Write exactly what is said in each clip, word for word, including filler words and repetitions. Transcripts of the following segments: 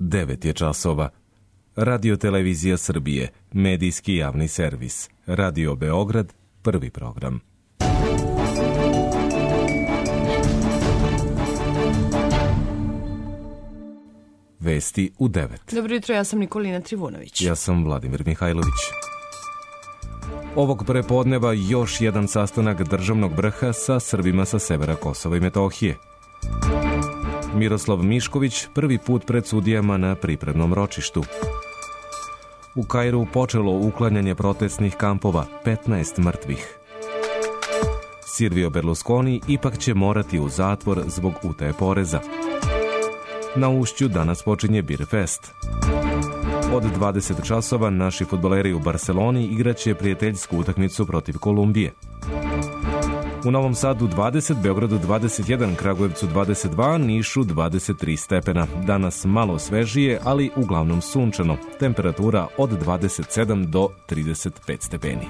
devet je časova. Radio Televizija Srbije, medijski javni servis. Radio Beograd, prvi program. Vesti u devet. Dobro jutro, ja sam Nikolina Trivunović. Ja sam Vladimir Mihajlović. Ovog prepodneva još jedan sastanak državnog vrha sa Srbima sa severa Kosova i Metohije. Miroslav Mišković prvi put pred sudijama na pripremnom ročištu. U Kairu počelo uklanjanje protestnih kampova, petnaest mrtvih. Silvio Berlusconi ipak će morati u zatvor zbog utaje poreza. Na Ušću danas počinje Beer Fest. Od dvadeset časova naši fudbaleri u Barceloni igraće prijateljsku utakmicu protiv Kolumbije. U Novom Sadu dvadeset, Beogradu dvadeset jedan, Kragujevcu dvadeset dva, Nišu dvadeset tri stepena. Danas malo svežije, ali uglavnom sunčano. Temperatura od dvadeset sedam do trideset pet stepeni.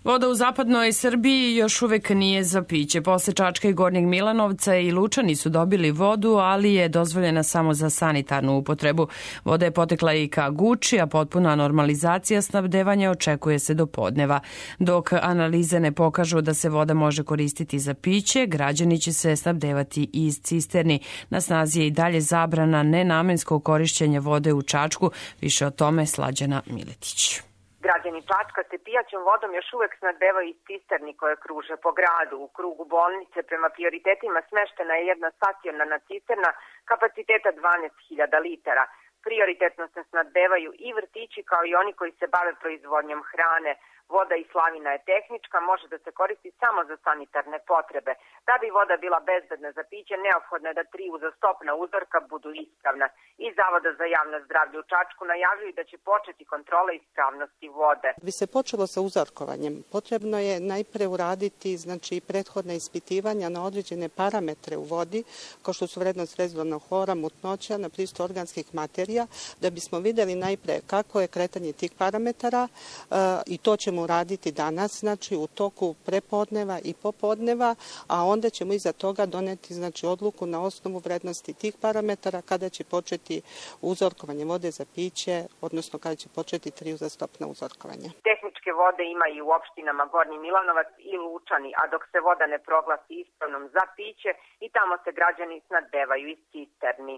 Voda u zapadnoj Srbiji još uvek nije za piće. Posle Čačka i Gornjeg Milanovca i Lučani su dobili vodu, ali je dozvoljena samo za sanitarnu upotrebu. Voda je potekla i ka Guči, a potpuna normalizacija snabdevanja očekuje se do podneva. Dok analize ne pokažu da se voda može koristiti za piće, građani će se snabdevati iz cisterni. Na snazi je i dalje zabrana nenamenskog korišćenja vode u Čačku. Više o tome Slađana Miletić. Građani Čačka se pijaćom vodom još uvek snabdevaju iz cisterni koje kruže po gradu. U krugu bolnice prema prioritetima smeštena je jedna stacionarna cisterna kapaciteta dvanaest hiljada litara. Prioritetno se snabdevaju i vrtići kao i oni koji se bave proizvodnjom hrane. Voda iz slavina je tehnička, može da se koristi samo za sanitarne potrebe. Da bi voda bila bezbedna za piće, neophodno je da tri uzastopna uzorka budu ispravna. Iz Zavoda za javno zdravlje u Čačku najavljuju da će početi kontrola ispravnosti vode. Bi se počelo sa uzorkovanjem, potrebno je najpre uraditi znači, prethodna ispitivanja na određene parametre u vodi, kao što su vrednost rezidualnog hlora, mutnoća, na pristup organskih materija, da bismo videli najpre kako je kretanje tih parametara uh, i to ćemo uraditi danas, znači u toku prepodneva i popodneva, a onda ćemo iza toga doneti znači, odluku na osnovu vrednosti tih parametara kada će početi uzorkovanje vode za piće, odnosno kada će početi tri uzastopna uzorkovanja. Tehničke vode ima i u opštinama Gornji Milanovac i Lučani, a dok se voda ne proglasi ispravnom za piće i tamo se građani snabdevaju iz cisterni.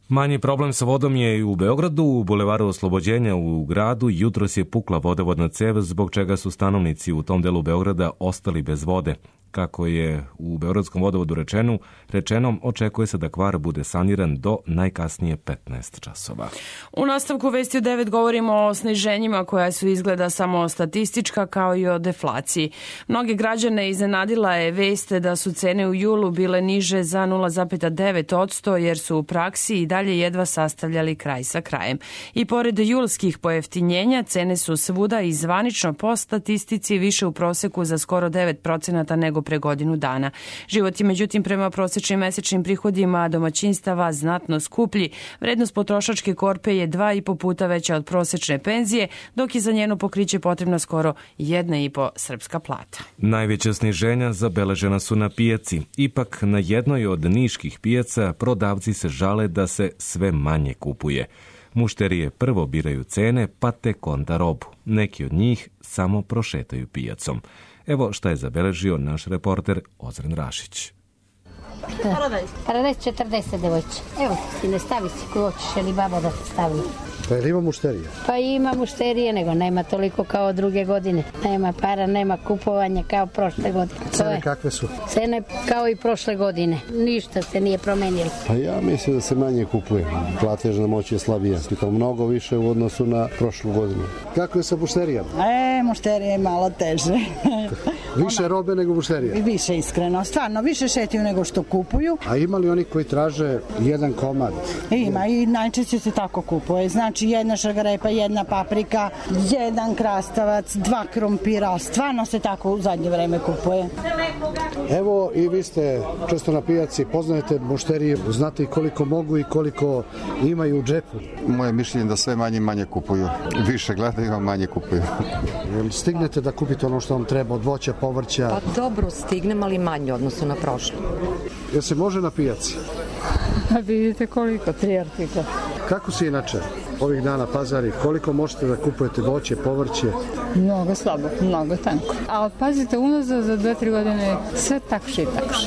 Manji problem sa vodom je i u Beogradu. U bulevaru Oslobođenja u gradu jutros je pukla vodovodna cev, zbog čega su stanovnici u tom delu Beograda ostali bez vode. Kako je u Beogradskom vodovodu rečeno, rečeno, očekuje se da kvar bude saniran do najkasnije petnaest časova. U nastavku Vesti u devet govorimo o sniženjima koja su izgleda samo statistička, kao i o deflaciji. Mnogi građane iznenadila je vest da su cene u julu bile niže za nula zarez devet posto jer su u praksi i dalje jedva sastavljali kraj sa krajem. I pored julskih pojeftinjenja, cene su svuda i zvanično po statistici više u proseku za skoro devet procenata nego pre godinu dana. Život je međutim prema prosečnim mesečnim prihodima domaćinstava znatno skuplji. Vrednost potrošačke korpe je dva i po puta veća od prosečne penzije, dok je za njeno pokriće potrebna skoro jedna i po srpska plata. Najveća sniženja zabeležena su na pijaci. Ipak na jednoj od niških pijaca prodavci se žale da se sve manje kupuje. Mušterije prvo biraju cene, pa tek onda robu. Neki od njih samo prošetaju pijacom. Evo šta je zabeležio naš reporter Ozren Rašić. Paradajz četrdeset, devojče. Evo, ti ne stavi si ko hoćeš, ili babo da te stavi. Pa ili ima mušterije? Pa ima mušterije, nego nema toliko kao druge godine. Nema para, nema kupovanja kao prošle godine. Cene kakve su? Cene kao i prošle godine. Ništa se nije promenilo. Pa ja mislim da se manje kupuje. Platežna moć je slabija. I to mnogo više u odnosu na prošlu godinu. Kako je sa mušterijama? E, mušterije je malo teže. Više robe nego mušterije? Više, iskreno. Stvarno, više šetiju nego što kupuju. A ima li oni koji traže jedan komad? Ima i najčešće se tako kupuje. Znači jedna šargarepa, jedna paprika, jedan krastavac, dva krompira. Stvarno se tako u zadnje vreme kupuje. Evo i vi ste često na pijaci, poznajete mušterije, znate i koliko mogu i koliko imaju u džepu. Moje mišljenje da sve manje manje kupuju. Više gledaju, a manje kupuju. Jel stignete da kupite ono što vam treba od voća, povrća? Pa dobro, stignem, ali manje odnosno na prošlo. Jel se može na pijaci? A vidite koliko, tri artikla. Kako se inače ovih dana pazari? Koliko možete da kupujete voće, povrće? Mnogo slabo, mnogo tanko. A pazite, unazad za dve, tri godine sve takše i takše.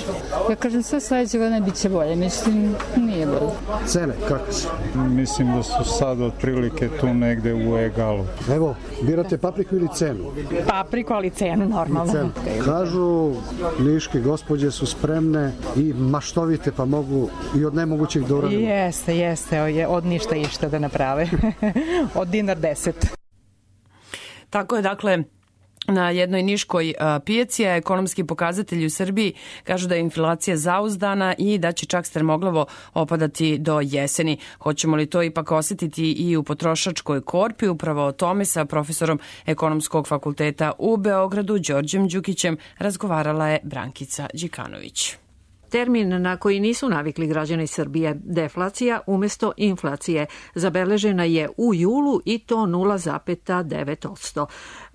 Ja kažem, sve sledeće godine bit će bolje, međutim, nije bolje. Cene, kako su? Mislim da su sad otprilike tu negde u egalu. Evo, birate papriku ili cenu? Papriku, ali cenu normalno. Cenu. Kažu, niške gospođe su spremne i maštovite, pa mogu i od nemogućih do uradimo. Jeste, jeste, od ništa išta da naprave. Od dinar deset. Tako je, dakle, na jednoj niškoj pijaci, a ekonomski pokazatelji u Srbiji kažu da je inflacija zauzdana i da će čak strmoglavo opadati do jeseni. Hoćemo li to ipak osjetiti i u potrošačkoj korpi? Upravo o tome sa profesorom Ekonomskog fakulteta u Beogradu, Đorđem Đukićem, razgovarala je Brankica Đikanović. Termin na koji nisu navikli građani Srbije, deflacija umesto inflacije, zabeležena je u julu i to nula zarez devet posto.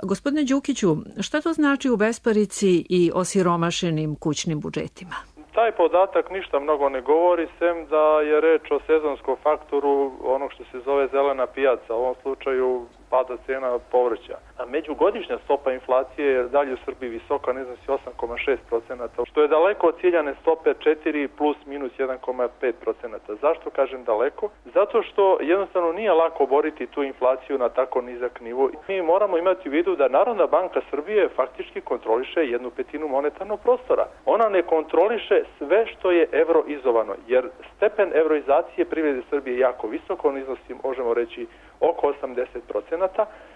Gospodine Đukiću, šta to znači u besparici i osiromašenim kućnim budžetima? Taj podatak ništa mnogo ne govori, sem da je reč o sezonskom faktoru onog što se zove zelena pijaca, u ovom slučaju pada cena povrća. A međugodišnja stopa inflacije je dalje u Srbiji visoka, ne iznosi osam zarez šest posto, što je daleko od ciljane stope četiri plus minus jedan zarez pet posto. Zašto kažem daleko? Zato što jednostavno nije lako boriti tu inflaciju na tako nizak nivo. Mi moramo imati u vidu da Narodna banka Srbije faktički kontroliše jednu petinu monetarnog prostora. Ona ne kontroliše sve što je evroizovano, jer stepen evroizacije privrede Srbije je jako visok, on iznosi, možemo reći, oko osamdeset posto,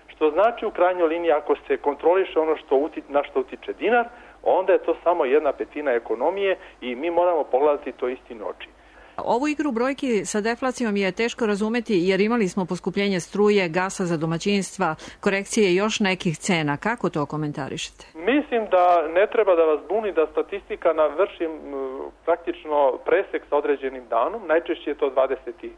što znači u krajnjoj liniji ako se kontroliše ono što uti, na što utiče dinar, onda je to samo jedna petina ekonomije i mi moramo pogledati to istini oči. Ovu igru brojki sa deflacijom je teško razumeti jer imali smo poskupljenje struje, gasa za domaćinstva, korekcije još nekih cena. Kako to komentarišete? Mislim da ne treba da vas buni da statistika navrši praktično presek sa određenim danom, najčešće je to dvadeseti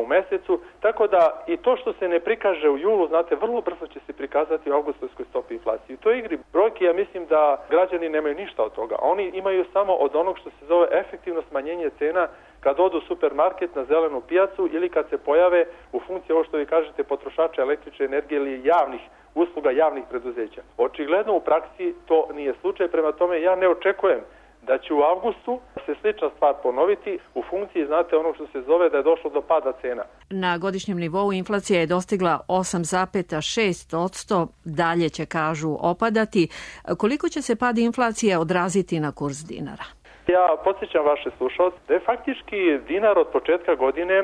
u mesecu, tako da i to što se ne prikaže u julu, znate, vrlo brzo će se prikazati u avgustovskoj stopi inflacije. U toj igri brojki, ja mislim da građani nemaju ništa od toga. Oni imaju samo od onog što se zove efektivno smanjenje cena kad odu u supermarket na zelenu pijacu ili kad se pojave u funkciji ovo što vi kažete potrošača električne energije ili javnih usluga javnih preduzeća. Očigledno u praksi to nije slučaj, prema tome ja ne očekujem da će u avgustu se slična stvar ponoviti u funkciji, znate, ono što se zove da je došlo do pada cena. Na godišnjem nivou inflacija je dostigla osam zarez šest posto, dalje će, kažu, opadati. Koliko će se pad inflacije odraziti na kurs dinara? Ja podsjećam vaše slušalce da je faktički dinar od početka godine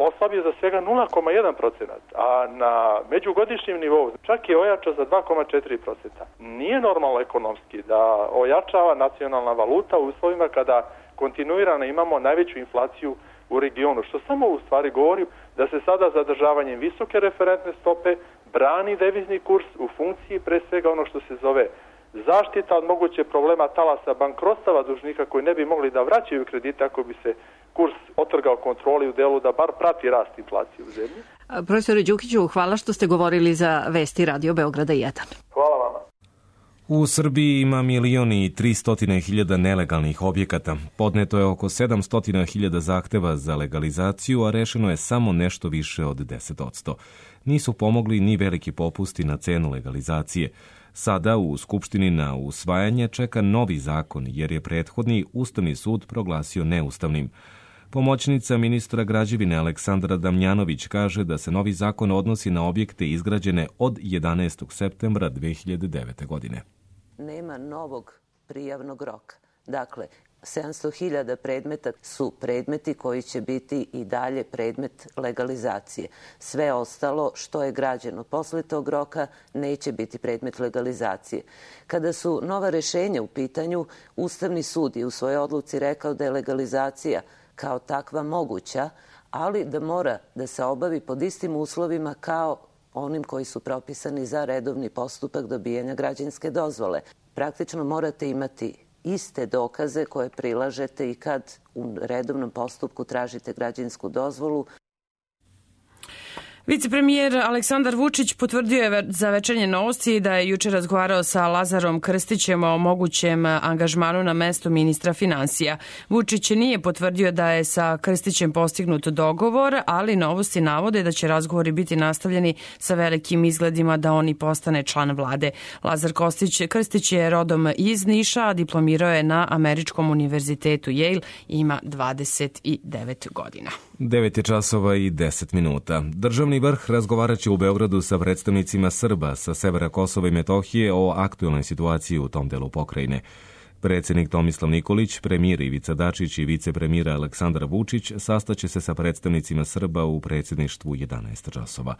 oslabio za svega nula zarez jedan posto, a na međugodišnjem nivou čak je ojačao za dva zarez četiri posto. Nije normalno ekonomski da ojačava nacionalna valuta u uslovima kada kontinuirano imamo najveću inflaciju u regionu, što samo u stvari govori da se sada zadržavanjem visoke referentne stope brani devizni kurs u funkciji pre svega ono što se zove zaštita od moguće problema talasa bankrotstava dužnika koji ne bi mogli da vraćaju kredite ako bi se kurs otrgao kontroli u delu da bar prati rast inflacije u zemlji. Profesore Đukiću, hvala što ste govorili za Vesti Radio Beograda jedan. Hvala vama. U Srbiji ima milion i tristotine hiljada nelegalnih objekata. Podneto je oko sedamsto hiljada zahteva za legalizaciju, a rešeno je samo nešto više od deset posto. Nisu pomogli ni veliki popusti na cenu legalizacije. Sada u Skupštini na usvajanje čeka novi zakon, jer je prethodni Ustavni sud proglasio neustavnim. Pomoćnica ministra građevine Aleksandra Damjanović kaže da se novi zakon odnosi na objekte izgrađene od jedanaestog septembra dve hiljade devete. godine. Nema novog prijavnog roka. Dakle, sedamsto hiljada predmeta su predmeti koji će biti i dalje predmet legalizacije. Sve ostalo što je građeno posle tog roka neće biti predmet legalizacije. Kada su nova rešenja u pitanju, Ustavni sud je u svojoj odluci rekao da je legalizacija kao takva moguća, ali da mora da se obavi pod istim uslovima kao onim koji su propisani za redovni postupak dobijanja građevinske dozvole. Praktično morate imati iste dokaze koje prilažete i kad u redovnom postupku tražite građevinsku dozvolu. Vicepremijer Aleksandar Vučić potvrdio je za Večernje novosti da je juče razgovarao sa Lazarom Krstićem o mogućem angažmanu na mesto ministra finansija. Vučić nije potvrdio da je sa Krstićem postignut dogovor, ali novosti navode da će razgovori biti nastavljeni sa velikim izgledima da on i postane član vlade. Lazar Kostić, Krstić je rodom iz Niša, a diplomirao je na Američkom univerzitetu Yale i ima dvadeset devet godina. devet je časova i deset minuta. Državni vrh razgovarat će u Beogradu sa predstavnicima Srba sa severa Kosova i Metohije o aktuelnoj situaciji u tom delu pokrajine. Predsjednik Tomislav Nikolić, premijer Ivica Dačić i vicepremijera Aleksandar Vučić sastaće se sa predstavnicima Srba u predsjedništvu jedanaest časova.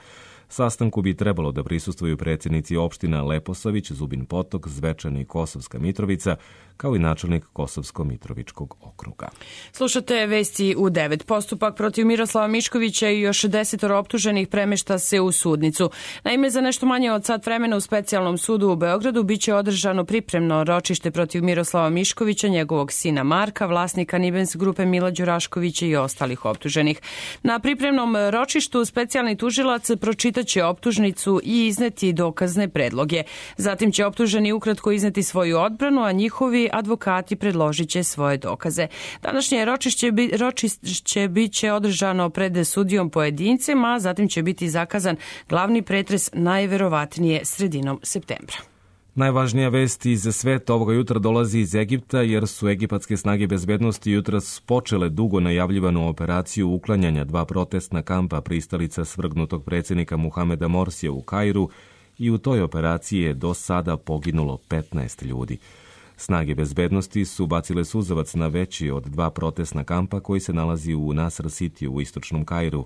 Sastanku bi trebalo da prisustvuju predsjednici opština Leposavić, Zubin Potok, Zvečan i Kosovska Mitrovica, kao i načelnik Kosovsko-Mitrovičkog okruga. Slušate vesti u devet. Postupak protiv Miroslava Miškovića i još desetoro optuženih premešta se u sudnicu. Naime, za nešto manje od sat vremena u specijalnom sudu u Beogradu biće održano pripremno ročište protiv Miroslava Miškovića, njegovog sina Marka, vlasnika Nibens grupe Mila Đuraškovića i ostalih optuženih. Na pripremnom ročištu specijalni tužilac pročitaće optužnicu i izneti dokazne predloge. Zatim će optuženi ukratko izneti svoju odbranu, a njihovi advokati predložit će svoje dokaze. Današnje ročišće, bi, ročišće biće održano pred sudijom pojedincem, a zatim će biti zakazan glavni pretres najverovatnije sredinom septembra. Najvažnija vest iz sveta ovoga jutra dolazi iz Egipta, jer su egipatske snage bezbednosti jutros počele dugo najavljivanu operaciju uklanjanja dva protestna kampa pristalica svrgnutog predsjednika Muhameda Morsija u Kairu i u toj operaciji je do sada poginulo petnaest ljudi. Snage bezbednosti su bacile suzavac na veći od dva protestna kampa koji se nalazi u Nasr City u istočnom Kairu.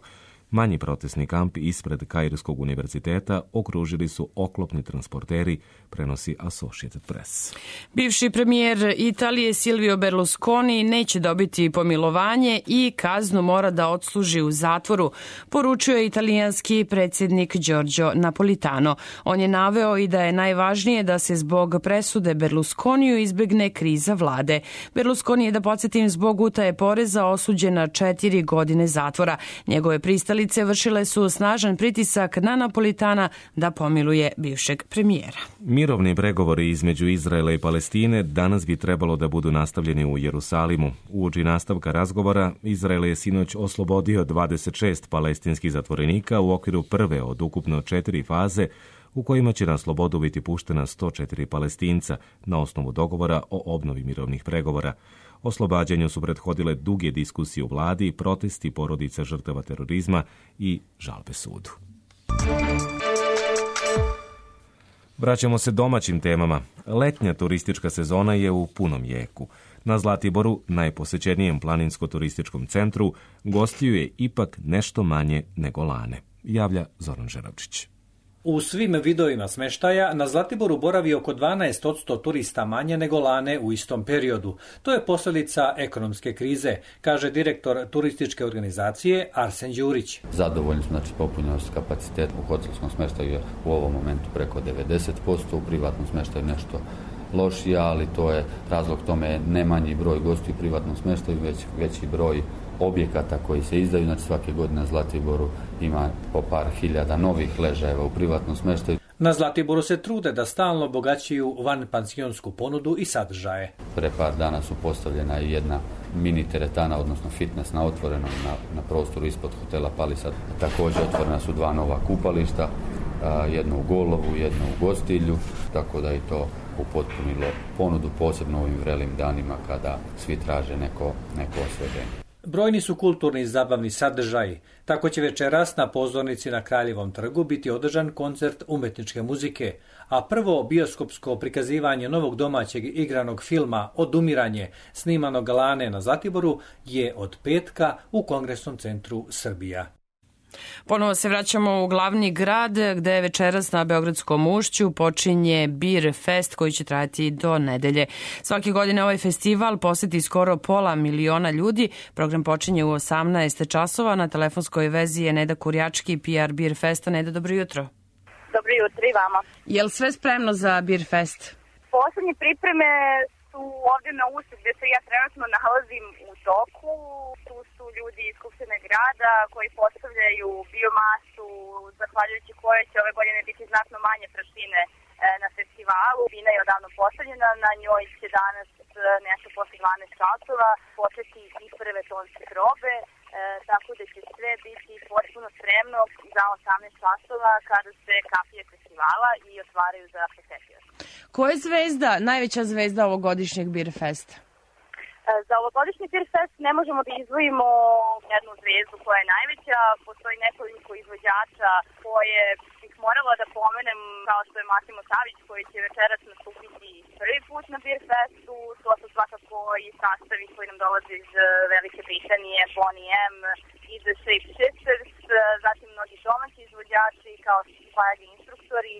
Manji protestni kamp ispred Kairskog univerziteta okružili su oklopni transporteri, prenosi Associated Press. Bivši premijer Italije Silvio Berlusconi neće dobiti pomilovanje i kaznu mora da odsluži u zatvoru, poručio je italijanski predsjednik Giorgio Napolitano. On je naveo i da je najvažnije da se zbog presude Berlusconiju izbegne kriza vlade. Berlusconi je, da podsjetim, zbog utaje poreza osuđen na četiri godine zatvora. Njegove pristalice vršile su snažan pritisak na Napolitana da pomiluje bivšeg premijera. Mirovni pregovori između Izraela i Palestine danas bi trebalo da budu nastavljeni u Jerusalimu. Uoči nastavka razgovora, Izrael je sinoć oslobodio dvadeset šest palestinskih zatvorenika u okviru prve od ukupno četiri faze u kojima će na slobodu biti puštena sto četiri Palestinca na osnovu dogovora o obnovi mirovnih pregovora. Oslobađanju su prethodile duge diskusije u vladi, protesti porodica žrtava terorizma i žalbe sudu. Vraćamo se domaćim temama. Letnja turistička sezona je u punom jeku. Na Zlatiboru, najposećenijem planinsko-turističkom centru, gostiju je ipak nešto manje nego lane, javlja Zoran Žeravčić. U svim vidovima smeštaja na Zlatiboru boravi oko dvanaest posto turista manje nego lane u istom periodu. To je posljedica ekonomske krize, kaže direktor turističke organizacije Arsen Đurić. Zadovoljni smo, znači popunjenost kapaciteta u hotelskom smeštaju je u ovom momentu preko devedeset posto, u privatnom smeštaju nešto lošije, ali to je razlog tome ne manji broj gostiju u privatnom smeštaju, već veći broj objekata koji se izdaju. Znači svake godine na Zlatiboru ima po par hiljada novih ležajeva u privatnom smeštaju. Na Zlatiboru se trude da stalno obogaćuju vanpansionsku ponudu i sadržaje. Pre par dana su postavljena i jedna mini teretana, odnosno fitness na otvorenom na, na prostoru ispod hotela Palisad. Također otvorena su dva nova kupališta, jedno u Golovu, jedno u Gostilju, tako da i to upotpunilo ponudu, posebno u ovim vrelim danima kada svi traže neko, neko osveženje. Brojni su kulturni i zabavni sadržaji. Tako će večeras na pozornici na Kraljevom trgu biti održan koncert umetničke muzike, a prvo bioskopsko prikazivanje novog domaćeg igranog filma Odumiranje, snimanog lane na Zlatiboru, je od petka u Kongresnom centru Srbija. Ponovo se vraćamo u glavni grad, gde večeras na Beogradskom ušću počinje Beer Fest koji će trajati do nedelje. Svake godine ovaj festival poseti skoro pola miliona ljudi. Program počinje u osamnaest časova. Na telefonskoj vezi je Neda Kurjački, P R Beer Festa. Neda, dobro jutro. Dobro jutro i vama. Je li sve spremno za Beer Fest? Poslednje pripreme su ovdje na usu gdje se ja trenutno nalazim u toku. Tu su ljudi iz Skupštine grada koji postavljaju biomasu, zahvaljujući kojoj će ove godine biti znatno manje prašine na festivalu. Bina je odavno postavljena, na njoj će danas nešto posle dvanaest časova početi i prve tonske probe, e, tako da će sve biti potpuno spremno za osamnaest časova kada se kapije festivala i otvaraju za posetioce. Koja je zvezda, najveća zvezda ovogodišnjeg Beer Festa? Za ovogodišnji Beer Fest ne možemo da izdvojimo jednu zvezdu koja je najveća. Postoji nekoliko izvođača koje bih morala da pomenem, kao što je Massimo Savić koji će večeras nastupiti prvi put na Beer Festu. To su svakako i sastavi koji nam dolaze iz Velike Britanije, Bonnie M i The Shape Shifters, zatim mnogi domaći izvođači kao Flag instruktori,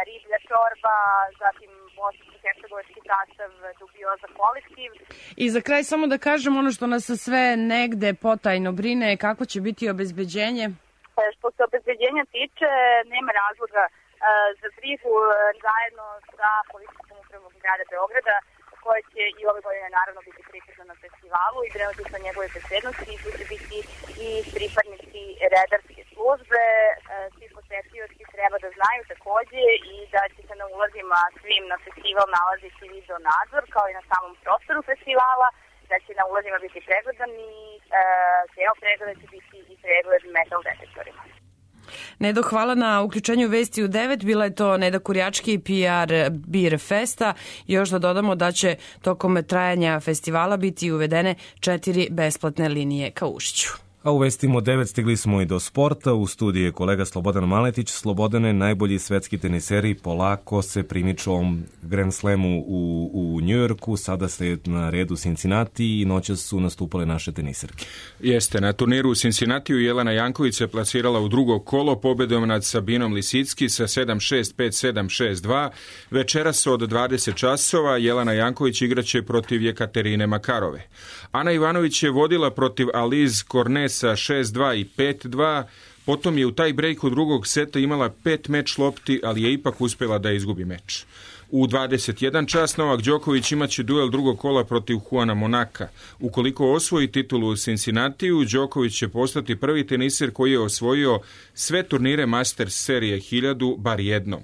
Riblja čorba, zatim bosansko-hercegovački sastav Dubioza kolektiv. I za kraj samo da kažem ono što nas sve negde potajno brine, kako će biti obezbeđenje? Što se obezbeđenja tiče, nema razloga za brigu, zajedno sa policijskom upravom grada Beograda, koja će i ove godine naravno biti prisutna na festivalu i brinuti sa njegove bezbednosti. Tu će biti i pripadnici redarske službe. Svi posetioci treba da znaju takođe i da će se na ulazima svim na festival nalaziti video nadzor kao i na samom prostoru festivala, da će na ulazima biti pregledan i deo pregleda će biti i pregled metal detektorima. Nedo, hvala na uključenju Vesti u devet. Bila je to Neda Kurjački, P R Beer Festa. Još da dodamo da će tokom trajanja festivala biti uvedene četiri besplatne linije ka Ušću. A u Vestima devet stigli smo i do sporta. U studiju je kolega Slobodan Maletić. Slobodane, najbolji svetski teniseri polako se primiču ovom Grand Slamu u, u Njujorku. Sada ste na redu Cincinnati i noćas su nastupale naše teniserke. Jeste, na turniru u Cincinnatiju Jelena Janković se plasirala u drugo kolo pobedom nad Sabinom Lisicki sa sedam šest, pet sedam, šest dva. Večeras od dvadeset časova Jelena Janković igraće protiv Jekaterine Makarove. Ana Ivanović je vodila protiv Aliz Kornesa šest dva i pet dva, potom je u taj breaku drugog seta imala pet meč lopti, ali je ipak uspjela da izgubi meč. U dvadeset jedan čas Novak Đoković imaće duel drugog kola protiv Juana Monaka. Ukoliko osvoji titulu u Cincinnatiju, Đoković će postati prvi teniser koji je osvojio sve turnire Masters serije hiljadu bar jednom.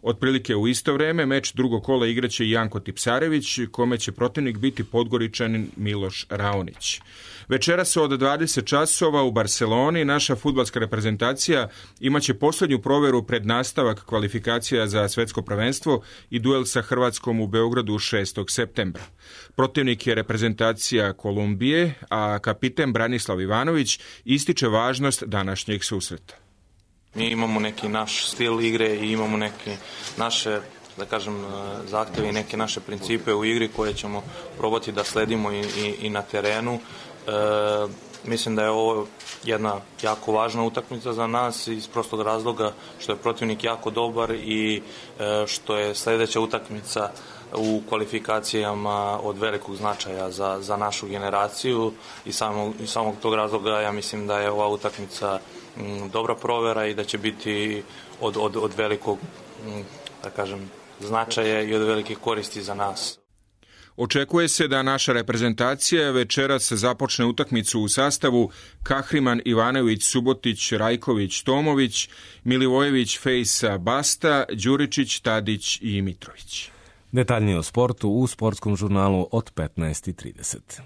Otprilike u isto vreme meč drugog kola igraće i Janko Tipsarević, kome će protivnik biti Podgoričanin Miloš Raonić. Večeras od dvadeset časova u Barceloni naša fudbalska reprezentacija imaće posljednju proveru pred nastavak kvalifikacija za svetsko prvenstvo i duel sa Hrvatskom u Beogradu šestog septembra. Protivnik je reprezentacija Kolumbije, a kapiten Branislav Ivanović ističe važnost današnjeg susreta. Mi imamo neki naš stil igre i imamo neke naše, da kažem, zahtjeve i neke naše principe u igri koje ćemo probati da sledimo i, i, i na terenu. E, mislim da je ovo jedna jako važna utakmica za nas iz prostog razloga što je protivnik jako dobar i e, što je sljedeća utakmica u kvalifikacijama od velikog značaja za, za našu generaciju i samog, i samog tog razloga ja mislim da je ova utakmica m, dobra provera i da će biti od, od, od velikog m, da kažem, značaja i od velike koristi za nas. Očekuje se da naša reprezentacija večeras započne utakmicu u sastavu Kahriman, Ivanović, Subotić, Rajković, Tomović, Milivojević, Fejsa, Basta, Đuričić, Tadić i Mitrović. Detaljnije o sportu u sportskom žurnalu od petnaest i trideset.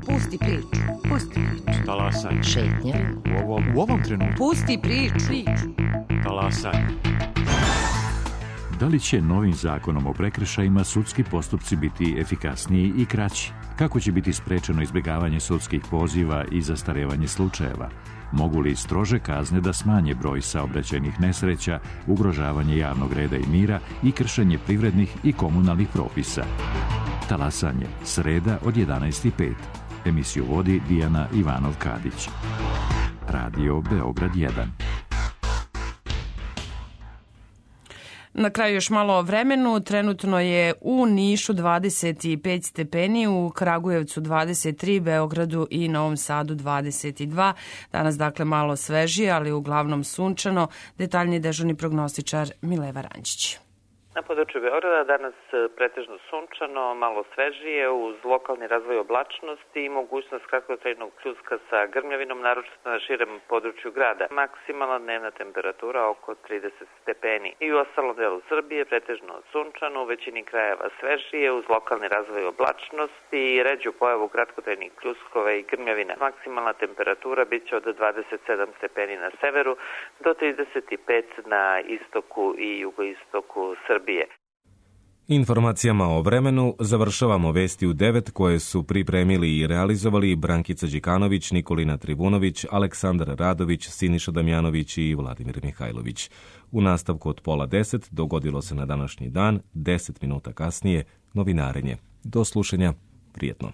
Pusti priču, pusti priču. Talasaj. Šetnja. U ovom, u ovom trenutku. Pusti priču. Talasaj. Da li će novim zakonom o prekršajima sudski postupci biti efikasniji i kraći? Kako će biti sprečeno izbjegavanje sudskih poziva i zastarevanje slučajeva? Mogu li strože kazne da smanje broj saobraćajnih nesreća, ugrožavanje javnog reda i mira i kršenje privrednih i komunalnih propisa? Talasanje, sreda od jedanaest i pet. Emisiju vodi Dijana Ivanov-Kadić. Radio Beograd jedan. Na kraju još malo o vremenu. Trenutno je u Nišu dvadeset pet stepeni, u Kragujevcu dvadeset tri, Beogradu i Novom Sadu dvadeset dva. Danas dakle malo svežije, ali uglavnom sunčano. Detaljni dežurni prognostičar Mileva Rančić. Na području Beograda danas pretežno sunčano, malo svežije, uz lokalni razvoj oblačnosti i mogućnost kratkotrajnog pljuska sa grmljavinom, naročito na širem području grada. Maksimalna dnevna temperatura oko trideset stepeni. I u ostalom delu Srbije pretežno sunčano, u većini krajeva svežije, uz lokalni razvoj oblačnosti i ređu pojavu kratkotrajnih pljuskova i grmljavina. Maksimalna temperatura bit će od dvadeset sedam stepeni na severu do trideset pet na istoku i jugoistoku Srbije. Informacijama o vremenu završavamo vesti u devet koje su pripremili i realizovali Brankica Đikanović, Nikolina Trivunović, Aleksandar Radović, Siniša Damjanović i Vladimir Mihajlović. U nastavku od pola deset dogodilo se na današnji dan, deset minuta kasnije, novinarenje. Do slušanja, prijetno.